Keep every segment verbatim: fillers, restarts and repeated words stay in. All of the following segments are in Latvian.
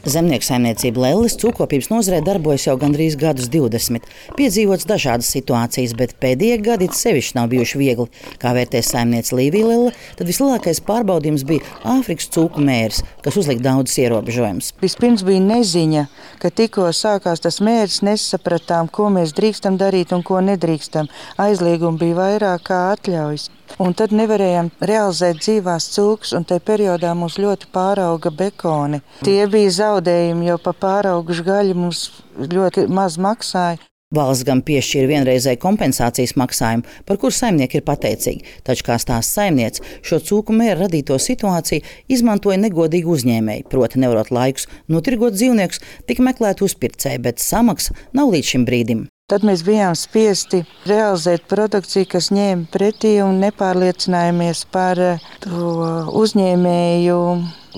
Zemnieku saimniecība Lelles cūkopības nozarē darbojas jau gandrīz gadus divdesmit. Piedzīvots dažādas situācijas, bet pēdējie gadi sevišķi nav bijuši viegli. Kā vērtē saimniece Līvija Lelle, tad vislielākais pārbaudījums bija Āfrikas cūku mēris, kas uzlika daudzus ierobežojumus. Vispirms bija neziņa, ka tikko sākās tas mēris, nesapratām, ko mēs drīkstam darīt un ko nedrīkstam. Aizliegumi bija vairāk kā atļaujas. Un tad nevarējām realizēt dzīvās cūkas, un tajā periodā mums ļoti pārauga bekoni. Tie bija zaudējumi, jo pa pāraugušu gaļu mums ļoti maz maksāja. Valsts gan piešķīra vienreizēju kompensācijas maksājumu, par kuru saimnieki ir pateicīgi. Taču, kā stāsta saimniece, šo cūku mēra radīto situāciju izmantoja negodīgi uzņēmēji, proti nevarot laikus notirgot dzīvniekus, tika meklēt uzpircēji, bet samaksa nav līdz šim brīdim. Tad mēs bijām spiesti realizēt produkciju, kas ņēma pretī un nepārliecinājāmies par to uzņēmēju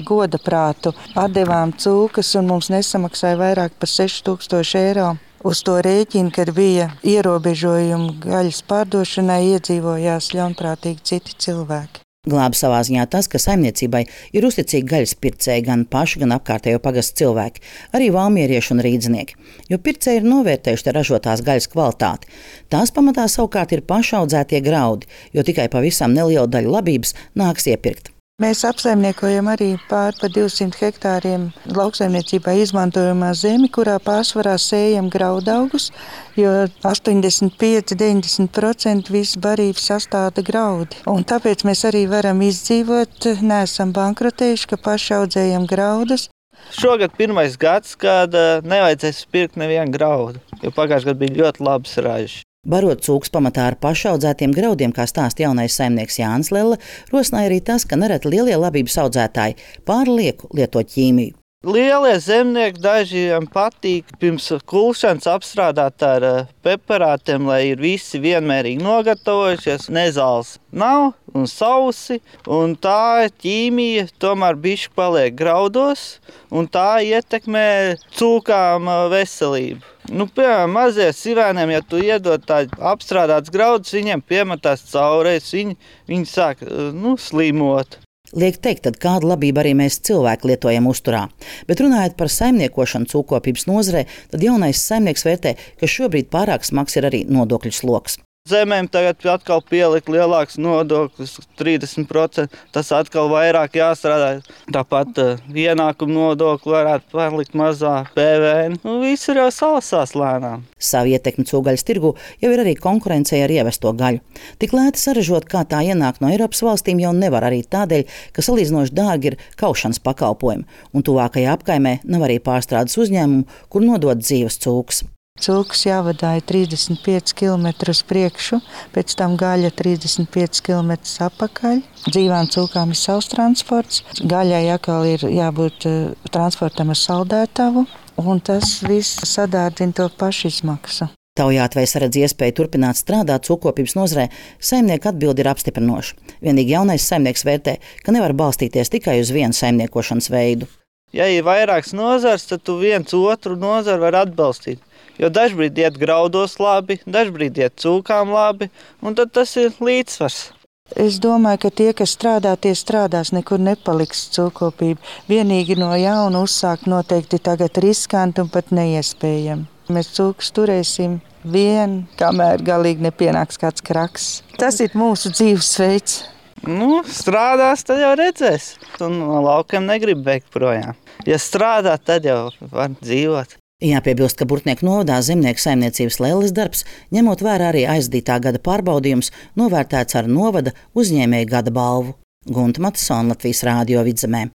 goda prātu. Atdevām cūkas un mums nesamaksāja vairāk par seši tūkstoši eiro. Uz to rēķinu, kad bija ierobežojumi gaļas pārdošanai, iedzīvojās ļaunprātīgi citi cilvēki. Glāba savā ziņā tas, ka saimniecībai ir uzticīgi gaļas pircēji gan paši, gan apkārtējo pagastu cilvēki, arī valmierieši un rīdznieki, jo pircēji ir novērtējuši te ražotās gaļas kvalitāti. Tās pamatā savukārt ir pašaudzētie graudi, jo tikai pavisam nelielu daļu labības nāks iepirkt. Mēs apsaimniekojam arī pār pa divsimt hektāriem lauksaimniecībā izmantojamā zemi, kurā pārsvarā sējam graudaugus, jo astoņdesmit pieci līdz deviņdesmit procenti visas barības sastāda graudi. Un tāpēc mēs arī varam izdzīvot, neesam bankrotējuši, ka paši audzējam graudus. Šogad pirmais gads, kad nevajadzēs pirkt nevienu graudu, jo pagājušajā gadā bija ļoti labs ražas. Barot cūkas pamatā ar pašaudzētiem graudiem, kā stāsta jaunais saimnieks Jānis Lelle, rosināja arī tas, ka nereti lielie labības audzētāji pārlieku lieto ķīmiju. Lielie zemnieki dažiem patīk pirms kulšanas apstrādāt ar peparātiem, lai ir visi vienmērīgi nogatavojušies, nezāles nav un sausi, un tā ķīmija tomēr bišķi paliek graudos, un tā ietekmē cūkām veselību. Nu, piemēram, mazie sivēniem, ja tu iedod tādu apstrādāts graudus, viņiem piemetās caurēs, viņi, viņi sāk nu, slimot. Liek teikt, tad kādu labību arī mēs cilvēki lietojam uzturā. Bet runājot par saimniekošanu cūkopības nozarē, tad jaunais saimnieks vērtē, ka šobrīd pārāk smags ir arī nodokļu sloks. Zemēm tagad atkal pielikt lielāks nodoklis, trīsdesmit procenti, tas atkal vairāk jāstrādā. Tāpat uh, ienākumu nodokli varētu palikt mazā P V N. Nu, viss ir jau salasās lēnām. Savu ietekmi cūgaļas tirgu jau ir arī konkurencei ar ievesto gaļu. Tik lēti saražot, kā tā ienāk no Eiropas valstīm, jau nevar arī tādēļ, ka salīdzinoši dārgi ir kaušanas pakalpojumi, un tuvākajā apkaimē nav arī pārstrādes uzņēmumu, kur nodot dzīves cūkas. Cūkas jāvadāja trīsdesmit pieci kilometri uz priekšu, pēc tam gaļa trīsdesmit pieci kilometri apakaļ. Dzīvām cūkām ir savs transports, gaļai atkal ir jābūt transportam ar saldētavu, un tas viss sadārdzina to pašizmaksu. Taujāt vai saredz iespēju turpināt strādāt cūkopības nozarē, saimnieka atbildi ir apstiprinoša. Vienīgi jaunais saimnieks vērtē, ka nevar balstīties tikai uz vienu saimniekošanas veidu. Ja ir vairāks nozars, tad tu viens otru nozaru var atbalstīt. Jo dažbrīd iet graudos labi, dažbrīd iet cūkām labi, un tad tas ir līdzsvars. Es domāju, ka tie, kas strādā, tie strādās, nekur nepaliks cūkopība. Vienīgi no jauna uzsākt noteikti tagad riskanti un pat neiespējami. Mēs cūkas turēsim vien, kamēr galīgi nepienāks kāds kraks. Tas ir mūsu dzīvesveids. Nu, strādās, tad jau redzēs. Un no laukiem negrib bēgt projām. Ja strādā, tad jau var dzīvot. Jāpiebilst, ka Burtnieku novadā zemnieku saimniecības Lelles darbs, ņemot vērā arī aizdītā gada pārbaudījums, novērtēts ar novada uzņēmēju gada balvu. Gunta Matisona, Latvijas Rādio Vidzemē.